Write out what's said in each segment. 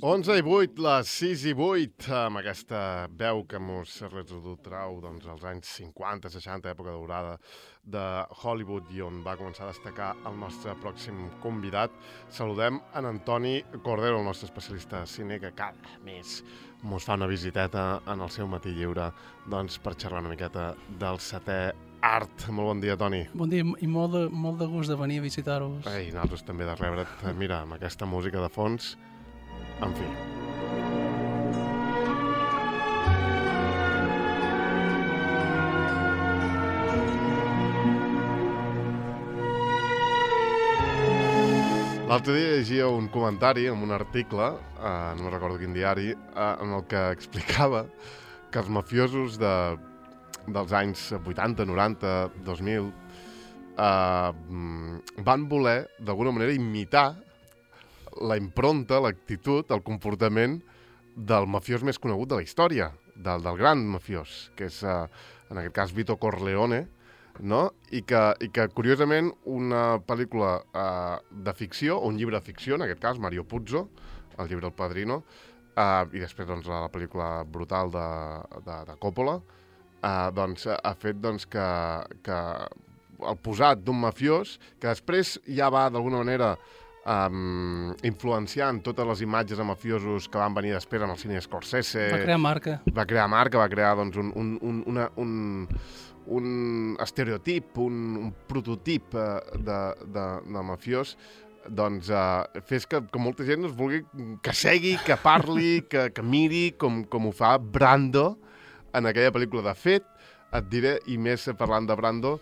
11:08, les 6:08, amb aquesta veu que mos retrotrau als anys 50, 60, època daurada de Hollywood, i on va començar a destacar el nostre pròxim convidat. Saludem en Antoni Cordero, el nostre especialista de cine, que cada mes mos fa una visiteta en el seu matí lliure per xerrar una miqueta del setè art. Molt bon dia, Toni. Bon dia i molt de gust de venir a visitar-vos. Ei, nosaltres també de rebre't. Mira, amb aquesta música de fons, en fi. L'altre dia llegia un comentari en un article, no recordo quin diari, en el que explicava que els mafiosos dels anys 80, 90, 2000 van voler, d'alguna manera, imitar la impronta, l'actitud, el comportament del mafiós més conegut de la història, del gran mafiós, que és, en aquest cas, Vito Corleone, no? I que, curiosament, una pel·lícula de ficció, o un llibre de ficció, en aquest cas, Mario Puzo, el llibre El Padrino, i després la pel·lícula brutal de Coppola, ha fet que el posat d'un mafiós, que després ja va, d'alguna manera, influenciant totes les imatges de mafiosos que van venir després en el cine Scorsese. Va crear marca. Va crear un estereotip, un prototip de mafiós, fes que molta gent es vulgui, que segui, que parli, que miri com ho fa Brando en aquella pel·lícula. De fet, et diré, i més parlant de Brando,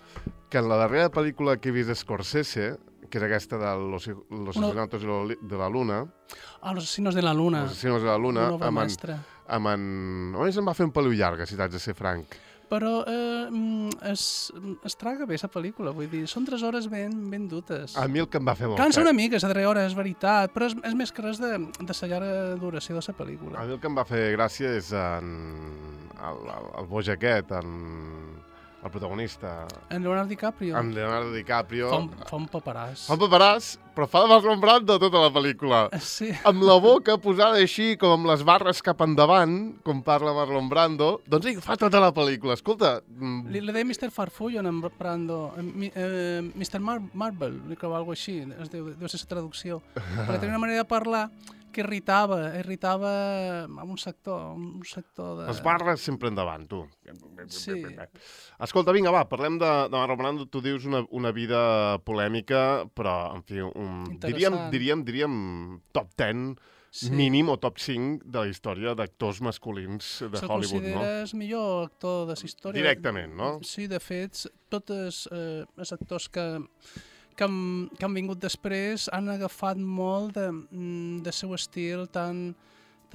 que en la darrera pel·lícula que he vist Scorsese, que és aquesta de Los Asesinatos de la Luna... Los Asesinos de la Luna. Los Asesinos de la Luna. Una obra mestra. Només em va fer un peliu llarga, si t'haig de ser franc. Però es traga bé, la pel·lícula, vull dir, són 3 hores ben dutes. A mi el que em va fer molt... Cansa una mica, la 3 hores, és veritat, però és més que res de la llarga duració de la pel·lícula. A mi el que em va fer gràcia és el boig aquest, el protagonista... En Leonardo DiCaprio. En Leonardo DiCaprio. Fa un paperàs. Fa un paperàs, però fa de Marlon Brando tota la pel·lícula. Sí. Amb la boca posada així, com amb les barres cap endavant, com parla Marlon Brando, doncs ell fa tota la pel·lícula. Escolta... Li deia Mr. Farfullo en Brando, Mr. Marble, o alguna cosa així, deu ser la traducció. Perquè tenia una manera de parlar que irritava un sector de... Les barres sempre endavant, tu. Sí. Escolta, vinga, va, parlem de Marlon Brando. Tu dius una vida polèmica, però, en fi, diríem top 10, sí, mínim, o top 5 de la història d'actors masculins de Hollywood, no? Se'l consideres millor actor de la història. Directament, no? Sí, de fet, tots els actors que han vingut després han agafat molt de seu estil tan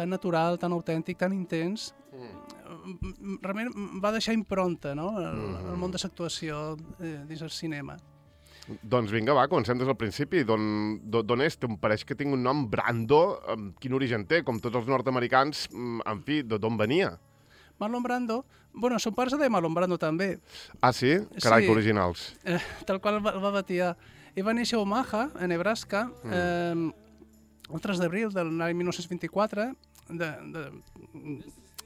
natural, tan autèntic, tan intens. Realment va deixar impronta, no?, el món de l'actuació dins el cinema. Doncs vinga, va, comencem des del principi. D'on és? Em pareix que tinc un nom, Brando. Quin origen té? Com tots els nord-americans, en fi, d'on venia? Marlon Brando, bueno, son pare se deia Marlon Brando també. Ah, sí? Carai, sí. Que originals. Tal qual el va batiar. Ell va néixer a Omaha, a Nebraska, el 3 d'abril de l'any 1924,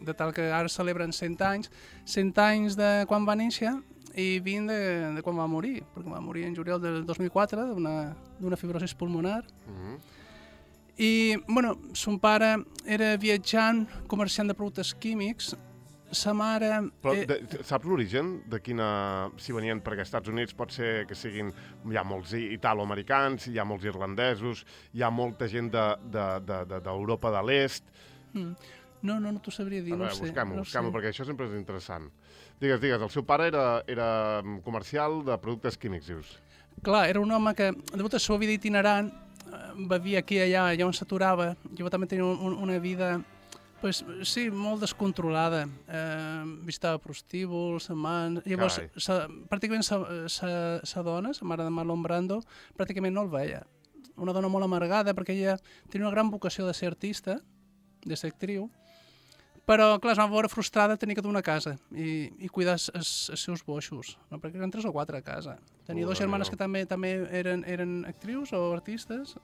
de tal que ara celebren 100 anys. 100 anys de quan va néixer i 20 de quan va morir, perquè va morir en juliol del 2004 d'una fibrosi pulmonar. I, bueno, son pare era viatjant, comerciant de productes químics. Sa mare... Però saps l'origen de quina... Si venien per als Estats Units, pot ser que siguin... Hi ha molts italoamericans, hi ha molts irlandesos, hi ha molta gent d'Europa de l'Est... No t'ho sabria dir, no sé. Busquem-ho, perquè això sempre és interessant. Digues, el seu pare era comercial de productes químics, dius? Clar, era un home que, degut a la seva vida itinerant, vivia aquí i allà on s'aturava. Jo també tenia una vida... Pues, sí, molt descontrolada. Visitava prostíbuls, amants... Llavors, pràcticament sa dona, la mare de Marlon Brando, pràcticament no el veia. Una dona molt amargada, perquè ella tenia una gran vocació de ser artista, de ser actriu, Però, clar, es va veure frustrada tenir que dur una casa i cuidar els seus boixos, no? Perquè eren 3 o 4 a casa. Tenia 2 germanes que també eren actrius o artistes,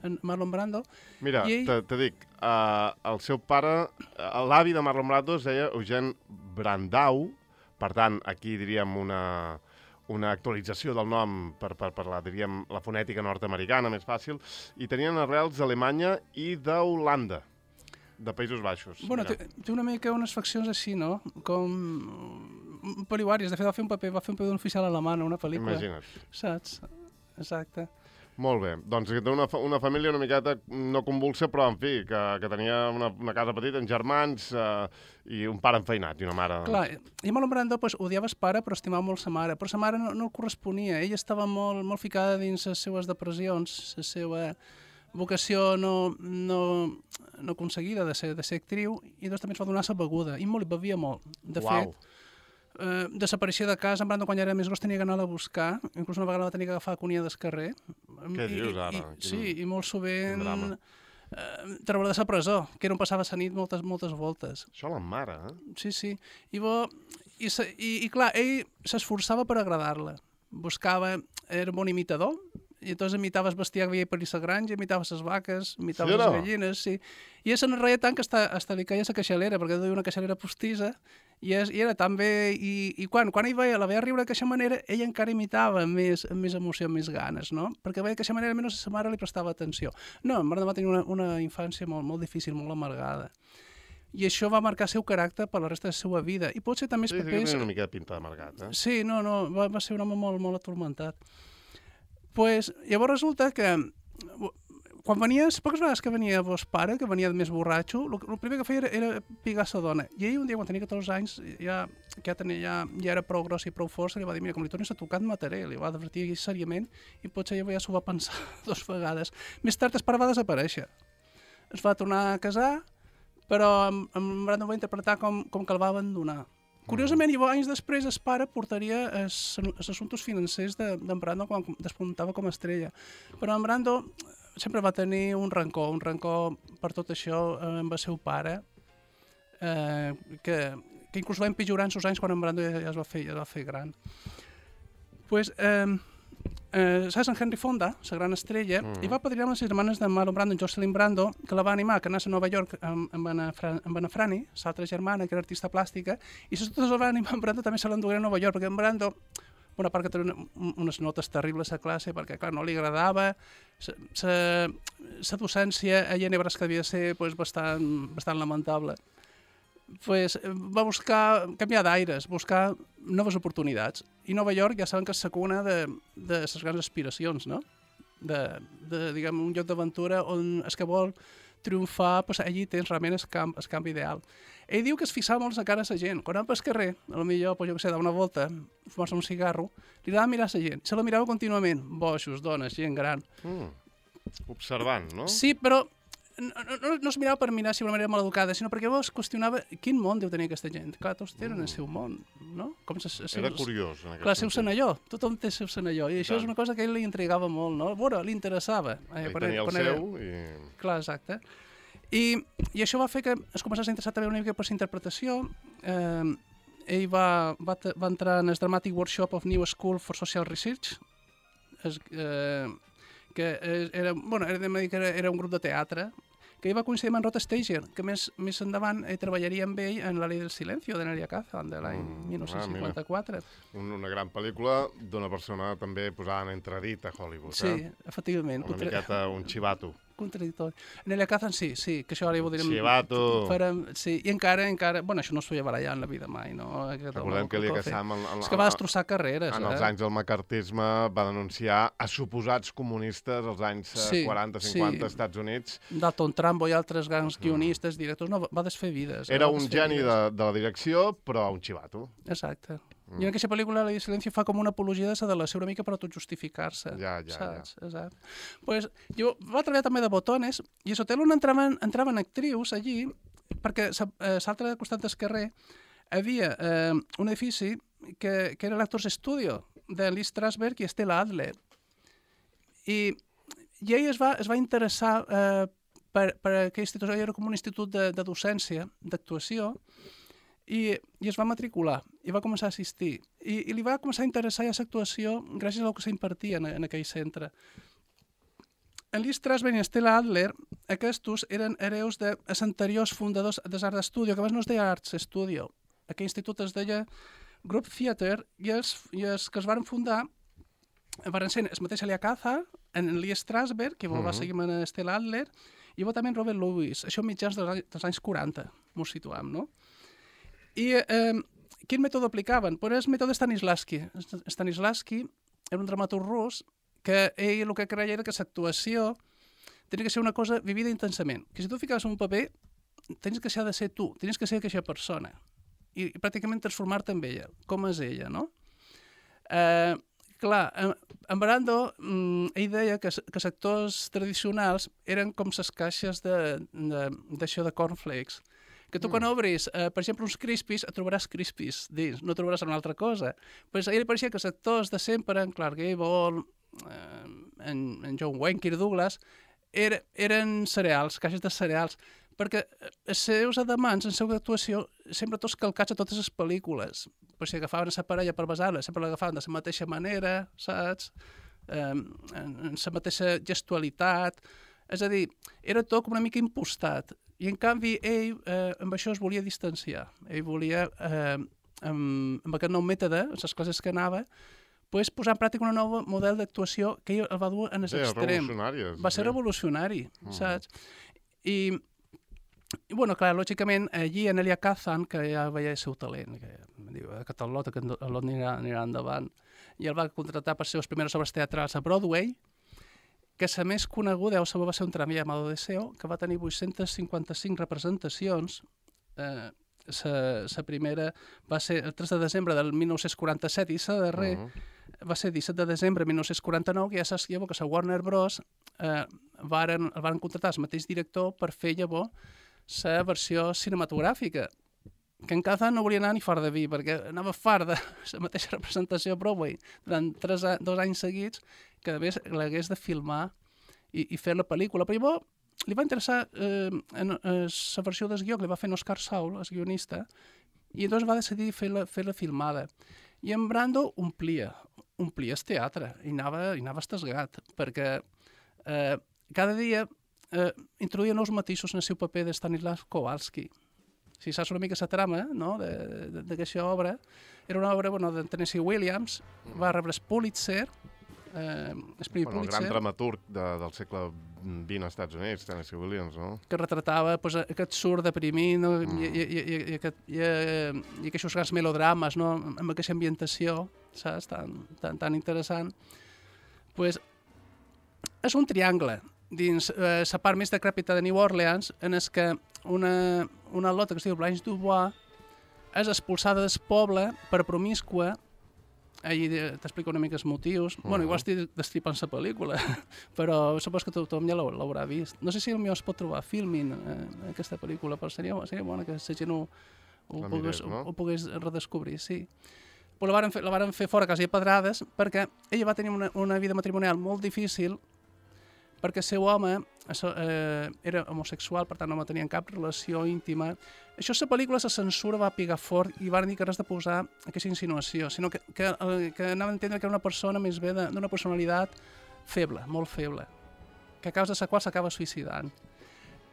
en Marlon Brando. Mira, te dic, el seu pare, l'avi de Marlon Brando es deia Eugene Brandau, per tant, aquí diríem una actualització del nom per diríem, la fonètica nord-americana, més fàcil, i tenien arrels d'Alemanya i d'Holanda, de Països Baixos. Bueno, té una mica unes faccions així, no? Com poliuàries. De fet, va fer un paper d'un oficial alemany a una pel·lícula. Imagina't. Saps? Exacte. Molt bé. Doncs té una família una miqueta no convulsa, però, en fi, que tenia una casa petita, amb germans i un pare enfeinat i una mare... Clar, i Marlon Brando odiava el pare, però estimava molt sa mare. Però sa mare no el corresponia. Ella estava molt ficada dins les seues depressions, la seva vocació no aconseguida de ser actriu, i doncs també es va donar la beguda, i molt bevia molt. De fet, desapareixia de casa. En Brando, quan ja era més gros, tenia que anar a buscar, inclús una vegada va tenir que agafar a Cunia del carrer. Què dius ara? Sí, i molt sovint treure de la presó, que era on passava la nit moltes voltes. Això la mare, eh? Sí. I clar, ell s'esforçava per agradar-la. Era un bon imitador, i llavors imitava el bestiar que veia per la granja, imitava les vaques, imitava les gallines, sí. I ell se n'enreia tant que hasta li caia la queixalera, perquè duia una queixalera postissa, i era tan bé, i quan ell la veia riure d'aquesta manera, ell encara imitava amb més emoció, amb més ganes, no? Perquè veia que d'aquesta manera almenys sa mare li prestava atenció. No, en Brando va tenir una infància molt difícil, molt amargada. I això va marcar el seu caràcter per la resta de la seva vida. I potser també els papers... Sí, tenia una mica de pinta d'amargat, eh? Sí, va ser un home molt atormentat. Llavors resulta que quan venies, poques vegades que venia vos pare, que venia més borratxo, el primer que feia era pigar sa dona. I ell un dia, quan tenia 14 anys, ja era prou gros i prou fort, li va dir, mira, com li tornis a tocar et mataré. Li va advertir seriament i potser ja s'ho va pensar 2 vegades. Més tard el pare va desaparèixer. Es va tornar a casar, però en Brando va interpretar com que el va abandonar. Curiosament, anys després, el pare portaria els assumptes financers d'en Brando quan despuntava com a estrella. Però en Brando sempre va tenir un rancor per tot això amb el seu pare, que inclús va empitjorar en els anys quan en Brando ja es va fer gran. Saps en Henry Fonda, la gran estrella, i va padrinar les germanes de Marlon Brando, Jocelyn Brando, que la va animar que anés a Nova York amb Anna Franny, l'altra germana, que era artista plàstica, i totes les va animar en Brando també se l'endugueren a Nova York, perquè en Brando, una part que tenia unes notes terribles a classe, perquè clar, no li agradava, la docència a Nebraska devia ser bastant lamentable. Va buscar canviar d'aires, buscar noves oportunitats. I Nova York ja saben que és la cuna de les grans aspiracions, no? Diguem, un lloc d'aventura on el que vol triomfar, allí tens realment el camp ideal. Ell diu que es fixava molt a la cara de la gent. Quan anava pel carrer, potser dava una volta, fumar-se un cigarro, li agradava mirar la gent. Se la mirava contínuament. Boixos, dones, gent gran. Observant, no? Sí, però no es mirava per mirar si d'una manera mal educada, sinó perquè llavors qüestionava quin món deu tenir aquesta gent. Clar, tots tenen el seu món, no? Era curiós, en aquest sentit. Clar, el seu senalló, tothom té el seu senalló, i això és una cosa que a ell li intrigava molt, no? Bueno, li interessava. Ell tenia el seu i... Clar, exacte. I això va fer que es començés a interessar també una mica per la interpretació. Ell va entrar en el Dramatic Workshop of New School for Social Research, que era un grup de teatre, que ell va coincidir amb en Rod Steiger, que més endavant treballaria amb ell en La Ley del Silencio, de Nelia Kazan, de l'any 1954. Una gran pel·lícula d'una persona també posada en entredit a Hollywood. Sí, efectivament. Una miqueta un xivato. Contradictori. Nelia Kazan, sí, que això ara ho direm... Xivato. Sí, i encara... Bueno, això no es feia barallar en la vida mai, no? Recordem que Elia Kazan... És que va destrossar carreres, en els anys del macartisme va denunciar a suposats comunistes als anys 40-50 als Estats Units. Dalton Trumbo i altres grans guionistes, directors, no, va desfer vides. Era un geni de la direcció, però un xivato. Exacte. I en aquesta pel·lícula La Ley del Silencio fa com una apologia de la delació una mica per autojustificar-se. Ja. Exacte. Jo va treballar també de botones, i a l'hotel on entraven actrius allí, perquè a l'altre costat del carrer havia un edifici que era l'Actors Studio de Lee Strasberg i Stella Adler. I ell es va interessar per aquell institut, era com un institut de docència, d'actuació, i es va matricular, i va començar a assistir. I li va començar a interessar ja l'actuació gràcies al que s'impartia en aquell centre. En Lee Strasberg i Stella Adler, aquests eren hereus dels anteriors fundadors de l'Art Studio, que abans no es deia Arts Studio. Aquell institut es deia Group Theater, i els que es van fundar van ser el mateix Elia Kazan, en Lee Strasberg, que va seguir amb Stella Adler, i també en Robert Lewis, això mitjans dels anys 40, m'ho situam, no? I quin mètode aplicaven? Pues el mètode Stanislavski. Stanislavski era un dramaturg rus que ell el que creia era que l'actuació tenia que ser una cosa vivida intensament. Que si tu ficaves un paper, tens que ser de ser tu, tens que ser aquella persona. I pràcticament transformar-te en ella, com és ella, no? Clar, en Brando, ell deia que els actors tradicionals eren com les caixes d'això de cornflakes, que tu quan obris, per exemple, uns Crispies, et trobaràs Crispies dins, no trobaràs una altra cosa. Pues a ell li pareixia que els actors de sempre, en Clark Gable, en John Wayne, Kirk Douglas, eren cereals, caixes de cereals, perquè els seus adamants en la seva actuació sempre tots calcats a totes les pel·lícules. Pues si agafaven la parella per basar-la, sempre l'agafaven de la mateixa manera, saps? En la mateixa gestualitat. És a dir, era tot com una mica impostat. I en canvi ell amb això es volia distanciar. Ell volia, amb aquest nou mètode, en les classes que anava, posar en pràctica un nou model d'actuació que ell el va dur en l'extrem. Va ser revolucionari, saps? I bueno, clar, lògicament, allí en Elia Kazan, que ja veia el seu talent, que diu, aquest lot anirà endavant, i el va contractar per ser les primeres obres teatrals a Broadway, que la més coneguda va ser un tramvia llamado Deseo, que va tenir 855 representacions. La primera va ser el 3 de desembre del 1947 i la darrer va ser 17 de desembre de 1949, que ja saps que la Warner Bros. El van contractar el mateix director per fer llavors la versió cinematogràfica, que en Kazan no volia anar ni fora de vi, perquè anava fart de la mateixa representació a Broadway durant 2 anys seguits, que a més l'hagués de filmar i fer la pel·lícula. Però llavors li va interessar la versió del guió que li va fer en Oscar Saul, el guionista, i llavors va decidir fer la filmada. I en Brando omplia el teatre i anava estasgat, perquè cada dia introduïa nous matisos en el seu paper de Stanisław Kowalski. Si saps una mica la trama d'aquesta obra, era una obra de Tennessee Williams, va rebre el Pulitzer, el gran dramaturg del segle XX als Estats Units, Tennessee Williams, no? Que retratava aquest surt deprimit i aquests grans melodrames, no? Amb aquesta ambientació, saps? Tan interessant. És un triangle dins la part més decrèpita de New Orleans, en què una lota que es diu Blanche Dubois és expulsada del poble per promíscua. Allí t'explica una mica els motius. Bueno, igual estic destripant la pel·lícula, però supos que tothom ja l'haurà vist. No sé si potser es pot trobar filming aquesta pel·lícula, però seria bona que la gent ho pogués redescobrir, sí. Però la varen fer fora quasi a pedrades perquè ella va tenir una vida matrimonial molt difícil, perquè el seu home era homosexual, per tant no tenien cap relació íntima. Això a la pel·lícula la censura va pigar fort i van dir que res de posar aquesta insinuació, sinó que anaven a entendre que era una persona més bé d'una personalitat feble, molt feble, que a causa de la qual s'acaba suïcidant.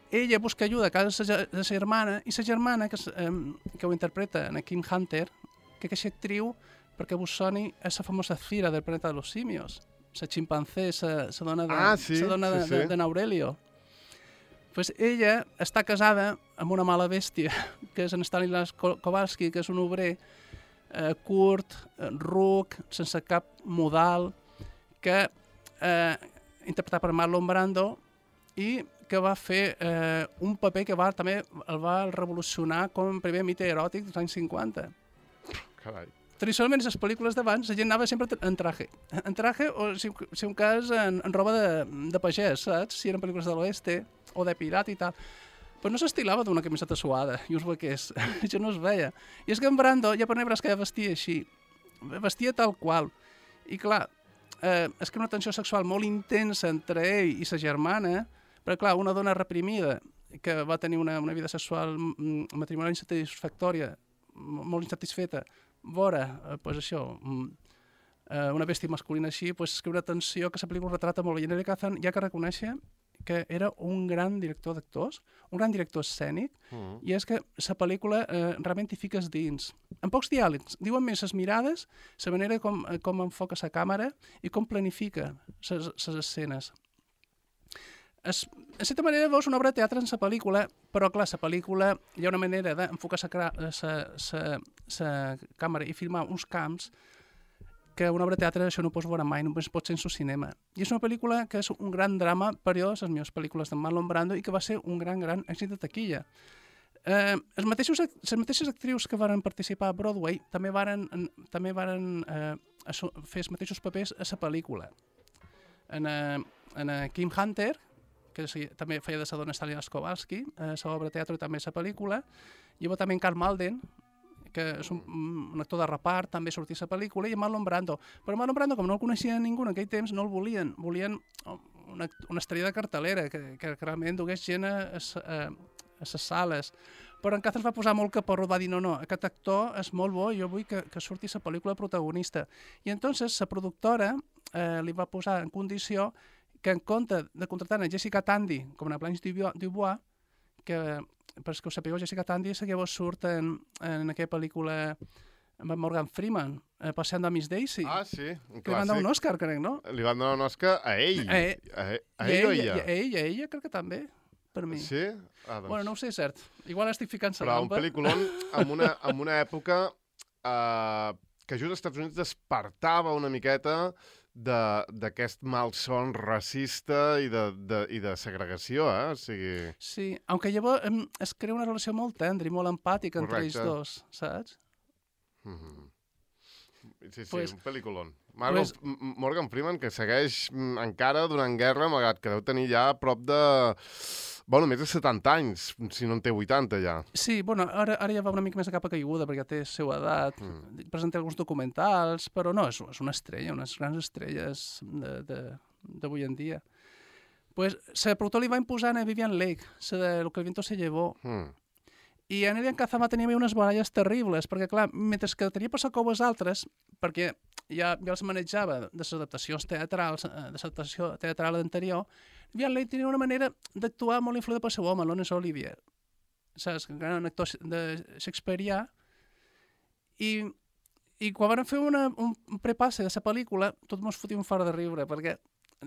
Ella busca ajuda a casa de la germana, i la germana, que ho interpreta en Kim Hunter, que aquesta actriu, perquè vos soni, és la famosa Fira del planeta de los simios, la ximpancé, la dona de Aurelio. Pues ella està casada amb una mala bèstia, que és en Stanisław Kowalski, que és un obrer curt, ruc, sense cap modal, que interpretat per Marlon Brando, i que va fer un paper que també el va revolucionar com el primer mite eròtic dels anys 50. Carai. Tradicionalment, les pel·lícules d'abans, la gent anava sempre en traje. En traje, o si un cas, en roba de pagès, saps? Si eren pel·lícules de l'oeste o de pirat i tal. Però no s'estilava d'una camiseta suada i uns vaquers. Això no es veia. I és que en Brando, ja per negres que vestia així. Vestia tal qual. I clar, és que una tensió sexual molt intensa entre ell i sa germana Però, clar, una dona reprimida que va tenir una vida sexual matrimonial insatisfactòria, molt insatisfeta, vora, pues això, una bèstia masculina així, pues és que una tensió que la pel·lícula retrata molt bé. I Neil Kazan ja que reconèixer que era un gran director d'actors, un gran director escènic, i és que la pel·lícula realment hi fiques dins. En pocs diàlegs, diuen més les mirades, la manera com enfoca la càmera i com planifica les escenes. En certa manera veus una obra de teatre en la pel·lícula, però clar, la pel·lícula hi ha una manera d'enfocar la càmera i filmar uns camps que una obra de teatre això no pots veure mai, només pot ser en el cinema. I és una pel·lícula que és un gran drama, però les millors pel·lícules de Marlon Brando i que va ser un gran èxit de taquilla. Les mateixes actrius que van participar a Broadway també varen fer els mateixos papers a la pel·lícula. En Kim Hunter, que també feia de la dona Stalin Kowalski, a l'obra de teatre i també a la pel·lícula, i també en Karl Malden, que és un actor de repart, també sortia a la pel·lícula, i Marlon Brando. Però Marlon Brando, com no el coneixia ningú en aquell temps, no el volien. Volien una estrella de cartelera, que realment dugués gent a les sales. Però en Kazan es va posar molt caporro, va dir, no, aquest actor és molt bo, jo vull que surti la pel·lícula protagonista. I entonces la productora li va posar en condició que en compte de contratar a Jessica Tandy com a Blanche Dubois, que per que ho sapigueu, Jessica Tandy és que llavors surt en aquella pel·lícula amb Morgan Freeman, Passant de Miss Daisy. Ah, sí, un clàssic. Li van donar un Òscar, crec, no? Li van donar un Òscar a ell. A ell o a ella? A ella crec que també, per mi. Sí? Ah, doncs. Bueno, no ho sé, cert. Igual estic ficant la Però lampa. un pel·lículon en una època que just als Estats Units despertava una miqueta d'aquest malson racista i de segregació, o sigui... Sí, aunque llavors es crea una relació molt tendra i molt empàtica entre ells dos, saps? Sí, un pel·lículon. Morgan Freeman, que segueix encara donant guerra, malgrat que deu tenir ja a prop de... Bueno, més de 70 anys, si no en té 80 ja. Sí, bueno, ara ja va una mica més a capa caiguda perquè ja té la seva edat, presenta alguns documentals, però no, és una estrella, unes grans estrelles d'avui en dia. Pues, la productora li va imposar a Vivian Leigh, la de Lo que el viento se llevó. I en Neil Kazan va tenir unes baralles terribles, perquè, clar, mentre que tenia per sacou els altres, perquè ja els manejava de les adaptacions teatrals, de l'adaptació teatral anterior, Vivian Leigh tenia una manera d'actuar molt influïda pel seu home, Laurence Olivier, saps? Un gran actor de shakespearià, i quan van fer un prepasse de la pel·lícula, tot mos fotia un fart de riure, perquè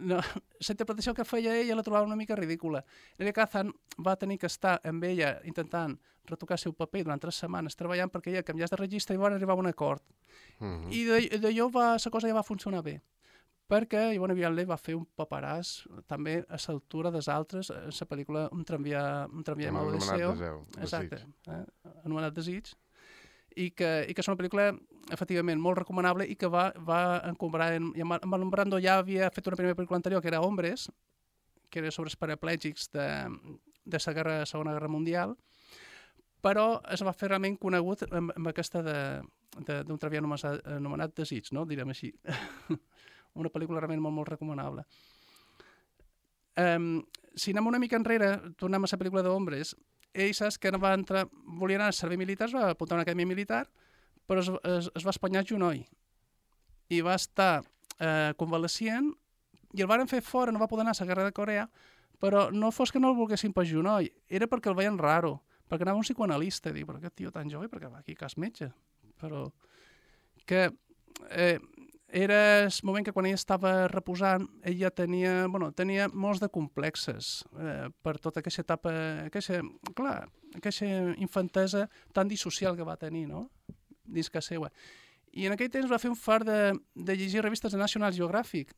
la interpretació que feia ella la trobava una mica ridícula. Neil Kazan va tenir que estar amb ella intentant retocar el seu paper durant 3 setmanes treballant perquè ella canviés de registre i van arribar a un acord. I d'allò la cosa ja va funcionar bé, perquè Ivone Vianley va fer un paperàs també a l'altura dels altres, a la pel·lícula Un tramvia de Maudeceo, exacte, anomenat Desig, i que és una pel·lícula efectivament molt recomanable i que va encombrar en Marlon Brando ja havia fet una primera pel·lícula anterior que era Hombres, que era sobre els paraplègics de la Segona Guerra Mundial, però es va fer realment conegut amb aquesta d'un tramvia anomenat Desig, no? Direm així. Una pel·lícula realment molt, molt recomanable. Si anem una mica enrere, tornem a la pel·lícula d'Hombres, ell saps que volia anar al servei militar, es va apuntar a una acadèmia militar, però es va espanyar genoll. I va estar convalescient, i el varen fer fora, no va poder anar a la guerra de Corea, però no fos que no el volguessin per genoll, era perquè el veien raro, perquè anava un psicoanalista, i diu, però aquest tio tan jove, perquè va aquí cas metge. Però que era el moment que quan ell estava reposant, ella tenia molts de complexes per tota aquesta etapa, aquesta infantesa tan dissocial que va tenir, no? Dins que seva. I en aquell temps va fer un fart de llegir revistes de National Geographic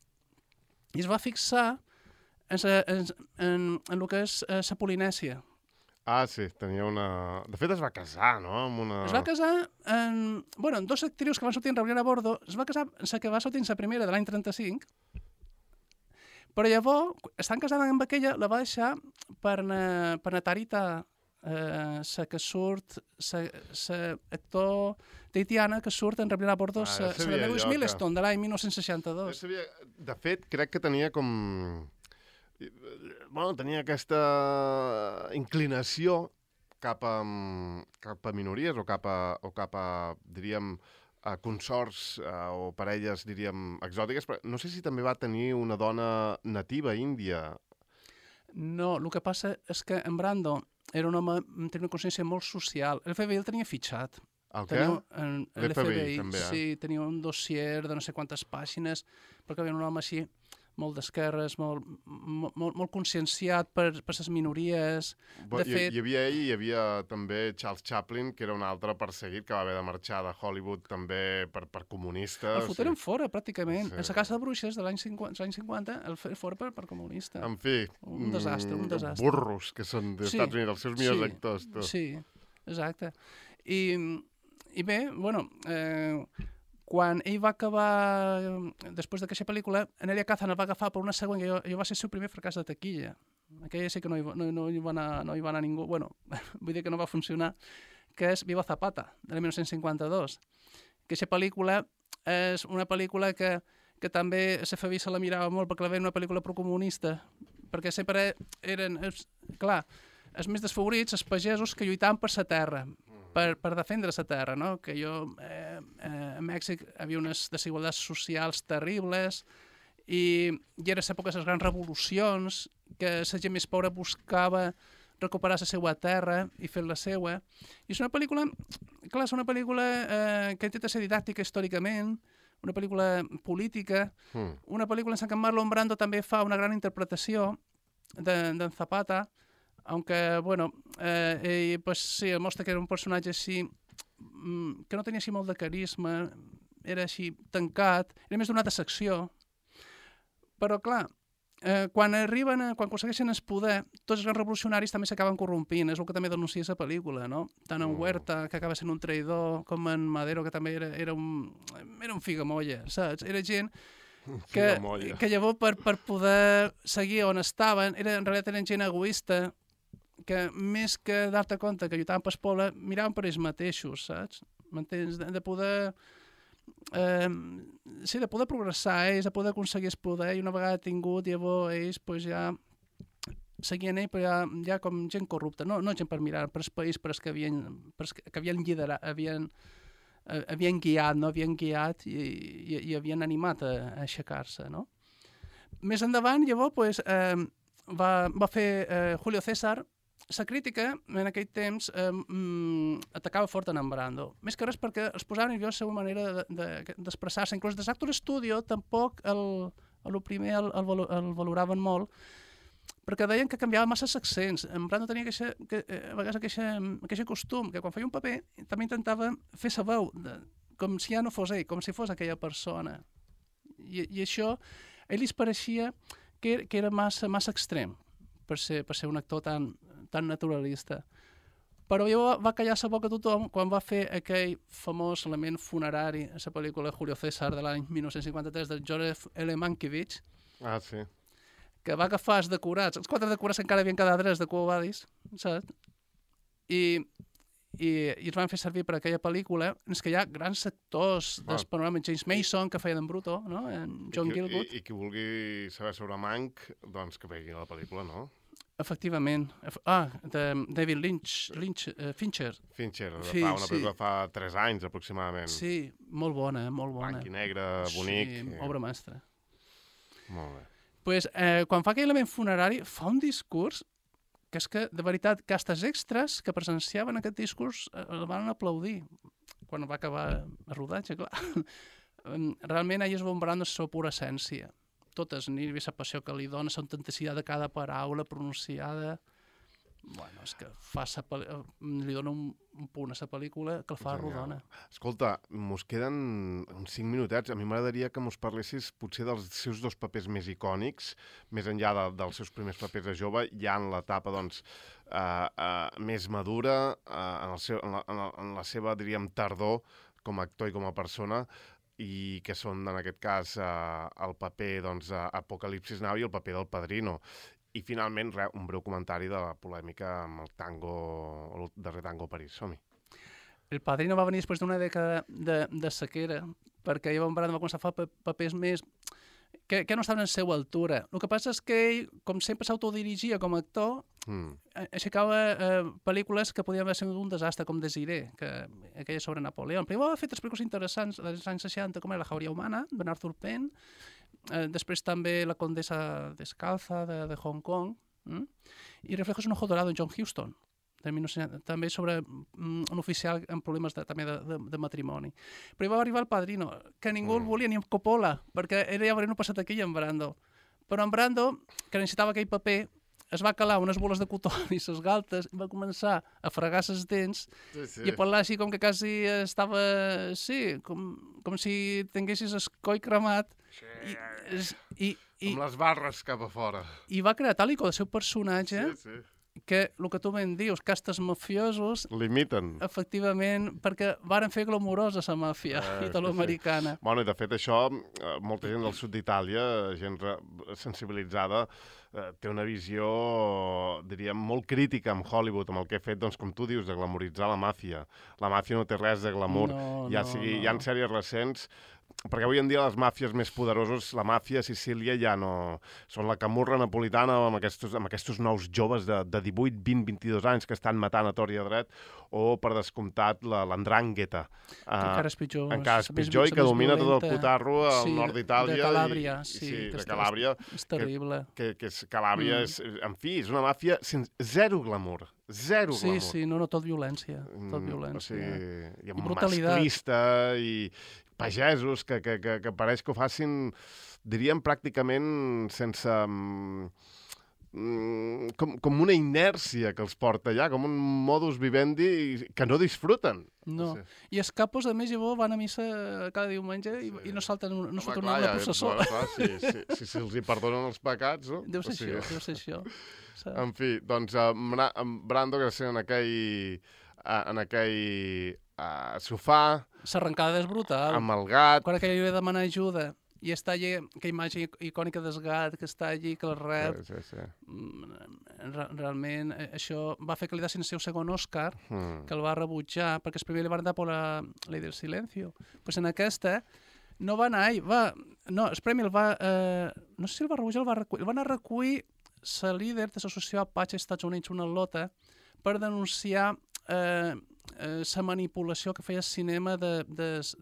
i es va fixar en el que és la Polinèsia. Ah, sí, tenia una... De fet, es va casar, no? Es va casar amb dos actrius que van sortir en Rebelión a Bordo. Es va casar la que va sortir en la primera de l'any 35, però llavors, estant casada amb aquella, la va deixar per Natarita, la que surt, l'actor tahitiana que surt en Rebelión a Bordo, la de Lewis Milestone, de l'any 1962. De fet, crec que tenia com... Bueno, tenia aquesta inclinació cap a minories o cap a diríem, a consorts o parelles, diríem, exòtiques, però no sé si també va tenir una dona nativa índia. No, el que passa és que en Brando era un home, tenia una consciència molt social. L'FBI el tenia fitxat. El què? L'FBI, també, sí, tenia un dossier de no sé quantes pàgines, perquè havia un home així, molt d'esquerres, molt conscienciat per les minories. De fet, hi havia ell i hi havia també Charles Chaplin, que era un altre perseguit que va haver de marxar de Hollywood també per comunista. El foteren fora, pràcticament. Sí. En la Casa de Bruixes de l'any 50, el fora per comunista. En fi, un desastre. Burros, que són dels Estats Units, els seus millors actors. Tu. Sí, exacte. I bé, bueno, quan ell va acabar, després d'aquesta pel·lícula, Enelia Kazan el va agafar per una següent, que jo va ser el seu primer fracàs de taquilla. Aquella sí que no hi va anar ningú, bueno, vull dir que no va funcionar, que és Viva Zapata, de 1952. Aquesta pel·lícula és una pel·lícula que també l'FBI se la mirava molt perquè la veia una pel·lícula procomunista, perquè sempre eren, clar, els més desfavorits, els pagesos que lluitaven per la terra, per defendre la terra, no? Que a Mèxic havia unes desigualtats socials terribles i era l'època de les grans revolucions, que la gent més pobra buscava recuperar la seva terra i fer la seva. I és una pel·lícula, clar, és una pel·lícula que intenta ser didàctica històricament, una pel·lícula política, una pel·lícula en què Marlon Brando també fa una gran interpretació d'en Zapata, aunque, bueno, ell, pues, sí, mostra que era un personatge així, que no tenia així molt de carisma, era així tancat, era més donat a secció. Però, clar, quan aconsegueixen el poder, tots els grans revolucionaris també s'acaben corrompint, és el que també denuncia la pel·lícula, no? Tant en Huerta, que acaba sent un traïdor, com en Madero, que també era un figamolla, saps? Era gent que llavors per poder seguir on estaven, en realitat eren gent egoista, que més que dar-te compte que lluitaven pel poble, miraven per ells mateixos, saps? M'entens? De poder progressar ells, de poder aconseguir el poder, i una vegada tingut, llavors ells pues, ja seguien ells, però ja com gent corrupta, no gent per mirar per el país, per els que havien liderat, havien guiat i havien animat a aixecar-se, no? Més endavant, llavors, pues, va fer Julio César. La crítica, en aquell temps, atacava fort en Brando. Més que res perquè es posaven nerviós la seva manera d'expressar-se. Inclús des d'Actor Studio tampoc el primer el valoraven molt, perquè deien que canviava massa els accents. En Brando tenia a vegades aquest costum, que quan feia un paper també intentava fer la veu, com si ja no fos ell, com si fos aquella persona. I això, a ell li pareixia que era massa extrem per ser un actor tan naturalista. Però ja va callar la boca a tothom quan va fer aquell famós element funerari a la pel·lícula Julio César de l'any 1953 de Joseph L. Mankiewicz, sí. que va agafar els decorats, els 4 decorats que encara havien quedat drets de Quo Vadis, saps? I els van fer servir per aquella pel·lícula en què hi ha grans actors del panorama, James Mason, que feia d'en Bruto, no? En John Gielgud. I qui vulgui saber sobre Mank, doncs que vegi la pel·lícula, no? Efectivament. De David Fincher. Fincher, fa una pel·lícula fa 3 anys aproximadament. Sí, molt bona, molt bona. Blanc i negre, bonic. Sí, obra mestra. Molt bé. Pues, quan fa aquell element funerari, fa un discurs que és que, de veritat, que hasta els extras que presenciaven aquest discurs el van aplaudir quan va acabar el rodatge, clar. Realment ell es va embarant la seva pura essència. Totes, ni la passió que li dona, la autenticitat de cada paraula pronunciada. Bueno, és que li dona un punt a la pel·lícula que el fa rodona. Escolta, mos queden uns 5 minutets. A mi m'agradaria que mos parlessis potser dels seus 2 papers més icònics, més enllà dels seus primers papers de jove, ja en l'etapa doncs, més madura, en la seva, diríem, tardor com a actor i com a persona, i que són, en aquest cas, el paper doncs, Apocalipsis Now i el paper del Padrino. I, finalment, un breu comentari de la polèmica amb el darrer tango a París. Som-hi. El Padrino va venir després d'una dècada de sequera, perquè Evan Brand va començar a fer papers més que no estaven en la seva altura. El que passa és que ell, com sempre s'autodirigia com a actor, aixecava pel·lícules que podien haver sigut un desastre, com Desiré, aquella sobre Napoleó. Primer va fer tres pel·lícules interessants dels anys 60, com era La jauria humana, de Arthur Penn, després també La condesa descalza, de Hong Kong, i Reflejos en un ojo dorado, en John Huston, també sobre un oficial amb problemes també de matrimoni. Però hi va arribar el Padrino, que ningú el volia, ni en Coppola, perquè era ja venint passat aquí en Brando. Però en Brando, que necessitava aquell paper, es va calar unes boles de cotó i ses galtes, i va començar a fregar ses dents i a parlar així com que quasi estava, com si tinguessis el coll cremat. Amb les barres cap a fora. I va crear tal i com el seu personatge que el que tu ben dius, castes mafiosos... L'imiten. Efectivament, perquè varen fer glamorosa la màfia italoamericana. Bueno, i de fet això, molta gent del sud d'Itàlia, gent sensibilitzada, té una visió, diríem, molt crítica amb Hollywood, amb el que ha fet, doncs, com tu dius, de glamoritzar la màfia. La màfia no té res de glamour. Hi ha sèries recents, perquè avui en dia les màfies més poderoses, la màfia a Sicília ja no... Són la camurra napolitana amb aquests nous joves de 18, 20, 22 anys que estan matant a tort i a dret, o, per descomptat, l'andrangheta. Que encara és pitjor. Encara és pitjor i que domina tot el cotarro al nord d'Itàlia. De Calàbria, de Calàbria. És terrible. Calàbria és... En fi, és una màfia zero glamour. Zero glamour. Sí, no, tot violència. Tot violència. I masclista i pagesos que pareix que ho facin, diríem, pràcticament sense... com una inèrcia que els porta allà, com un modus vivendi que no disfruten. No. I els capos, a més, llavors van a missa cada diumenge i no salten una processó. Si se'ls hi perdonen els pecats, no? Deu ser això. En fi, doncs, Brando, que sent en aquell sofà... S'arrencada és brutal. Amb el gat... Quan aquell li va demanar ajuda i està allí, aquella imatge icònica del gat que està allí, que el rep... Realment, això va fer que li dessin el seu segon Òscar, que el va rebutjar, perquè el primer li van dar per la Ley del Silencio. Pues en aquesta no va anar ell, no, el premi el va... no sé si el va rebutjar o el va anar a recollir la líder de l'associació Apache als Estats Units, una lota, per denunciar la manipulació que feia el cinema dels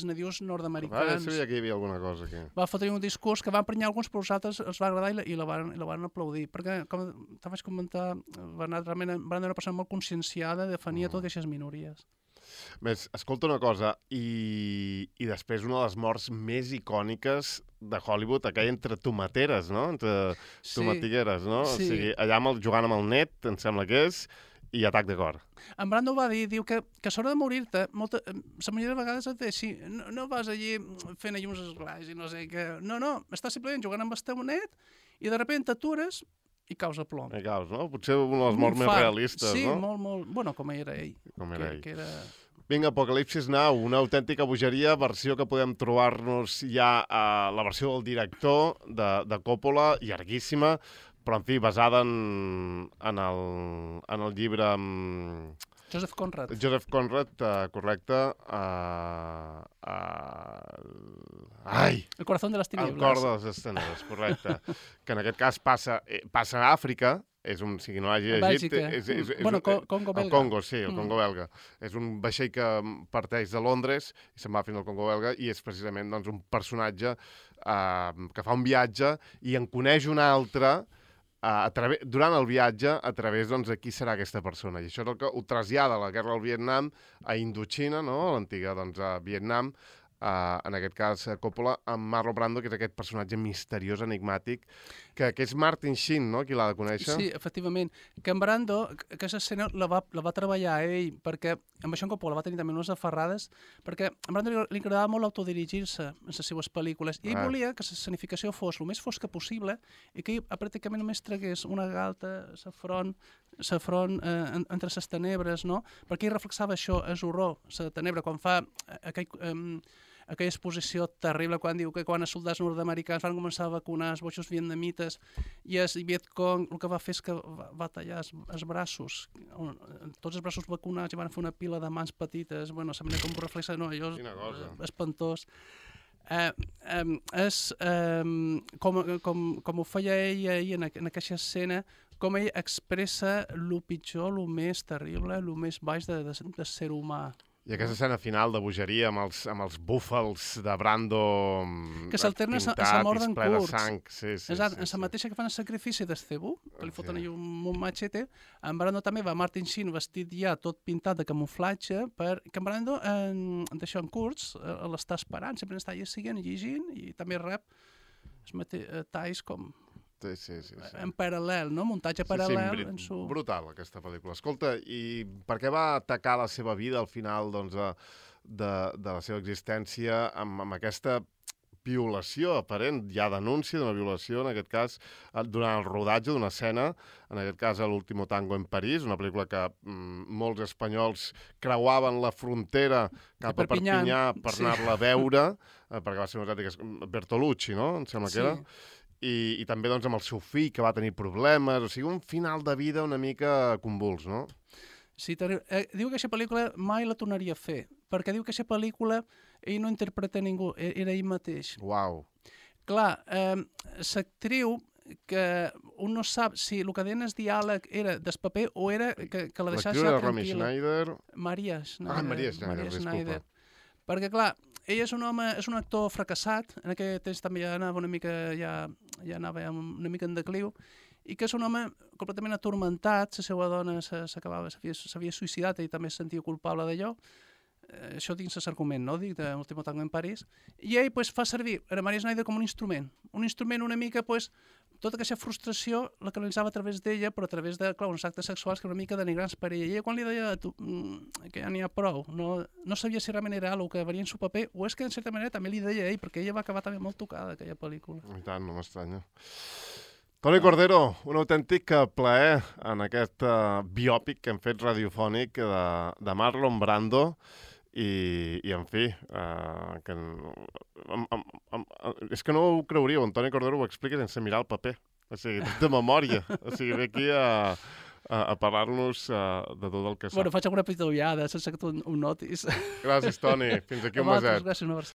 nadius nord-americans. Sabia que hi havia alguna cosa aquí. Va fotre un discurs que va emprenyar alguns, però els altres els va agradar i la van aplaudir. Perquè, com te vaig comentar, Bernat, realment va anar una persona molt conscienciada de defenir totes aquestes minories. Més, escolta una cosa, i després una de les morts més icòniques de Hollywood, aquella entre tomateres, no? Entre tomatigueres, no? Sí. O sigui, allà jugant amb el net, em sembla que és, i atac de cor. En Brando va dir, diu que a l'hora de morir-te, la majoria de vegades et deixi, no vas allí fent allí uns esglais i no sé què, no, estàs simplement jugant amb el teu net i de sobte t'atures i caus a plom. I caus, no? Potser una de les morts més realistes, no? Sí, molt, bueno, com era ell. Que era... Vinga, Apocalipsis Now, una autèntica bogeria, versió que podem trobar-nos ja a la versió del director de Coppola, llarguíssima, però, en fi, basada en el llibre... Joseph Conrad. Joseph Conrad, correcte. El corazón de les tinieblas. El cor de les tinieblas, correcte. Que en aquest cas passa a Àfrica, si no hagi llegit... Congo belga. El Congo, sí, el Congo belga. És un vaixell que parteix de Londres i se'n va fins al Congo belga i és precisament un personatge que fa un viatge i en coneix un altre durant el viatge a través de qui serà aquesta persona. I això és el que ho trasllada la guerra del Vietnam a Indochina, no? L'antiga Vietnam, en aquest cas Coppola, amb Marlon Brando, que és aquest personatge misteriós, enigmàtic, que és Martin Sheen, no?, qui l'ha de conèixer. Sí, efectivament. Que en Brando, aquesta escena la va treballar ell, perquè amb això en Coppola va tenir també unes aferrades, perquè a Brando li agradava molt autodirigir-se en les seues pel·lícules, i ell volia que la escenificació fos el més fosca possible i que ell pràcticament només tragués una galta, la front entre les tenebres, no? Perquè ell reflexava això, és horror, la tenebra, quan fa aquella exposició terrible quan diu que quan els soldats nord-americans van començar a vacunar els boixos vietnamites i el Vietcong el que va fer és que va tallar els braços, tots els braços vacunats i van fer una pila de mans petites, bueno, sembla com un reflex, no, allò és espantós. Com ho feia ell ahir en aquesta escena, com ell expressa el pitjor, el més terrible, el més baix de ser humà. I aquesta escena final de bogeria amb els búfals de Brando que s'alterna pintat a i mort d'en ple de curts. sang. Sí, Exacte, en la mateixa que fan el sacrifici d'Estebu, que li foten allà un machete, en Brando també va Martin Sheen vestit ja tot pintat de camuflatge, perquè en Brando d'això en curts l'està esperant, sempre està allà seguint, llegint, i també rep talls com en paral·lel, no? Muntatge paral·lel. Brutal, aquesta pel·lícula. Escolta, i per què va atacar la seva vida al final de la seva existència amb aquesta violació aparent? Hi ha denúncia d'una violació, en aquest cas, durant el rodatge d'una escena, en aquest cas a l'Último Tango en París, una pel·lícula que molts espanyols creuaven la frontera cap a Perpinyà per anar-la a veure, perquè va ser unes ètiques Bertolucci, no? Em sembla que era. I també doncs, amb el seu fill, que va tenir problemes, o sigui, un final de vida una mica convuls, no? Sí, diu que aquesta pel·lícula mai la tornaria a fer, perquè diu que aquesta pel·lícula ell no interpreta ningú, era ell mateix. Uau. Clar, l'actriu, que un no sap si el que deien el diàleg era del paper o era que la deixava tranquil·la. L'actriu era Romy Schneider. Maria Schneider. Maria Schneider, disculpa. Perquè, clar, ell és un home, és un actor fracassat, en aquell temps també ja anava una mica, ja anava una mica en decliu, i que és un home completament atormentat, la seva dona s'havia suïcidat i també es sentia culpable d'allò, això dins l'argument, no?, dic, de l'Último Tango en París, i ell fa servir a Maria Schneider com un instrument una mica, tota aquesta frustració la canalitzava a través d'ella, però a través de, clar, uns actes sexuals que una mica denigrants per ella. I ella quan li deia que ja n'hi ha prou, no sabia si realment era el que varia en su paper, o és que en certa manera també li deia ell, perquè ella va acabar també molt tocada, aquella pel·lícula. I tant, no m'estranya. Toni Cordero, un autèntic plaer en aquest biòpic que hem fet radiofònic de Marlon Brando, i en fi, és que no ho creuríeu, en Toni Cordero ho explica sense mirar el paper, o sigui, de memòria, o sigui, ve aquí a parlar-nos de tot el que sap. Bueno, faig alguna petita ullada, sense que tu ho notis. Gràcies, Toni. Fins aquí un meset. Gràcies, una